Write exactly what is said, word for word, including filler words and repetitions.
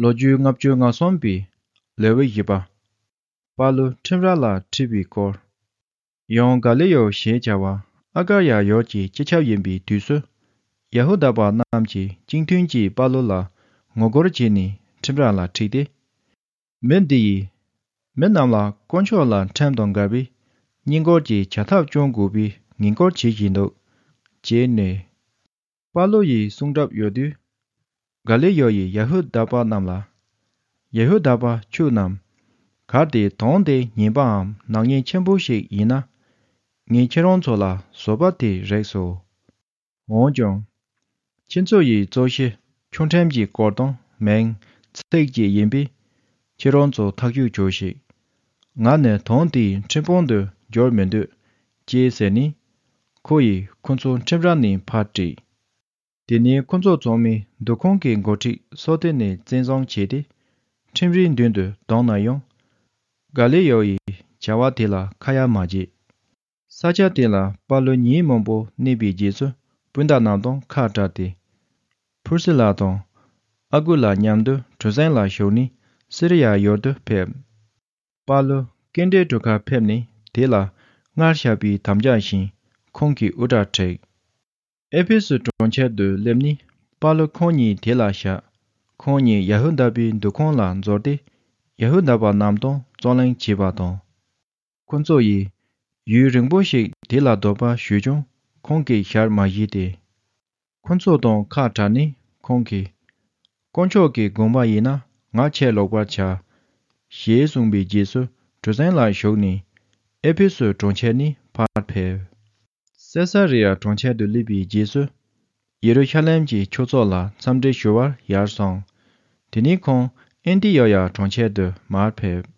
ལོ་རྒྱུས་ལྔ་བཅུ་ང་གསུམ་པའི་ལེའུ་བཞི་པ། པཱ་ལུ་ཁྲིམས་ར་ལ་ཁྲིད་པའི་སྐོར། ཡང་ག་ལི་ཡོ་ཞེས་བྱ་བ་ཨ་ཀར་ཡ་ཡོར་གྱི་སྤྱི་ཁྱབ་ཡིན་པའི་དུས་སུ། ཡ་ཧུ་དཱ་པ་རྣམས་ཀྱིས་སྤྱི་མཐུན་གྱིས་པཱ་ལུ་ལ་ངོ་རྒོལ་བྱས་ནས་ཁྲིམས་ར་ལ་ཁྲིད་དེ། མི་འདི་ཡིས་མི་རྣམས་ལ་དཀོན་མཆོག་ལ་ཁྲིམས་དང་འགལ་བའི་བསྙེན་བཀུར་གྱི་བྱ་ཐབས་སྐྱོང་དགོས་པའི་ངན་སྐུལ་བྱེད་བཞིན་འདུག་ཅེས་སྨྲས། པཱ་ལུ་ཡི་གསུང་གྲབས་ཡོད་དུས། ག་ལི་ཡོ་ཡིས་ཡ་ཧུ་དཱ་པ་རྣམས་ལ། ཡ་ཧུ་དཱ་པ་ཁྱོད་རྣམས། གལ་ཏེ་དོན་དེ་ངན་པའམ་ནག་ཉེས་ཆེན་པོ་ཞིག་ཡིན་ན། ངས་ཁྱེད་རང་ཚོ་ལ་བཟོད་པ་དེ་རེག་སོ། འོན་ཀྱང་། ཁྱེད་ཚོ་ཡི་གཙོ་གཞི་ཆོས་ཁྲིམས་ཀྱི་སྐོར་དང་མིང་ཚིག་བཅས་ཡིན་པས། ཁྱེད་རང་ཚོ་ཐག་གཅོད་བྱོས་ཤིག་ང་ནི་དོན་དེའི་ཁྲིམས་དཔོན་དུ་འགྱུར་མི་འདོད། ཅེས་ཟེར་ནས། ཁོ་ཡིས་ཁོ་ཚོ་ཁྲིམས་ར་ནས་ཕར་ཁྲིད། དེ་ནས་ཁོ་ཚོ་ཚང་མས་འདུ་ཁང་གི་འགོ་ཁྲིད་སོ་ཏེ་ནས་བཙན་བཟུང་བྱས་ཏེ། ཁྲིམས་རའི་མདུན་དུ་བརྡུངས་ན་ཡང་། ག་ལི་ཡོ་ཡི་བྱ་བ་དེ་ལ་ཁ་ཡ་མ་བྱས། ས་ཆ་དེ་ལ་པཱ་ལུ་ཉིན་མང་པོ་གནས་པའི་རྗེས་སུ་སྤུན་ཟླ་རྣམས་དང་ཁ་བྲལ་ཏེ། ཕུར་སི་ལ་དང་ཨ་གུ་ལ་མཉམ་དུ་གྲུ་གཟིངས་ལ་ཞུགས་ནས་སི་རི་ཡ་ཡུལ་དུ་ཕེབས། པཱ་ལུ་ཀེན་ཌའི་གྲུ་ཁར་ཕེབས་ནས་དེ་ལ་སྔར་བཞག་པའི་དམ་བཅའ་བཞིན་ཁོང་གིས་དབུ་སྐྲ་བྲེགས། ཨེ་ཕེ་སུ་གྲོང་ཁྱེར་དུ་སླེབས་ནས་པཱ་ལུ་ཁོང་ཉིད་དེ་ལ་བཞག་ཁོང་ཉིད་ཡ་ཧུ་དཱ་པའི་འདུ་ཁང་ལ་འཛུལ་ཏེ་ཡ་ཧུ་དཱ་པ་རྣམས་དང་རྩོད་གླེང་བྱས་པ་དང་། ཁོ་ཚོ་ཡིས་ཡུན་རིང་པོ་ཞིག་དེ་ལ་སྡོད་པ་ཞུས་ཀྱང་ཁོང་གིས་ཞལ་མ་བཞེས་ཏེ། ཁོ་ཚོ་དང་ཁ་བྲལ་ནས་ཁོང་གིས། དཀོན་མཆོག་གི་དགོངས་པ་ཡིན་ན་ང་ཕྱིར་ལོག་པར་བྱ། ཞེས་གསུངས་པའི་རྗེས་སུ་གྲུ་གཟིངས་ལ་ཞུགས་ནས་ཨེ་ཕེ་སུ་གྲོང་ཁྱེར་ནས་ཕར་ཕེབས། སེ་ས་རི་ཡ་གྲོང་ཁྱེར་དུ་སླེབས་པའི་རྗེས་སུ། ཡེ་རུ་ཤ་ལེམ་གྱི་ཆོས་ཚོགས་ལ་འཚམས་འདྲི་ཞུ་བར་ཡར་སོང་། དེ་ནས་ཁོང་ཨན་ཏི་ཡོ་ཡ་གྲོང་ཁྱེར་དུ་མར་ཕེབས།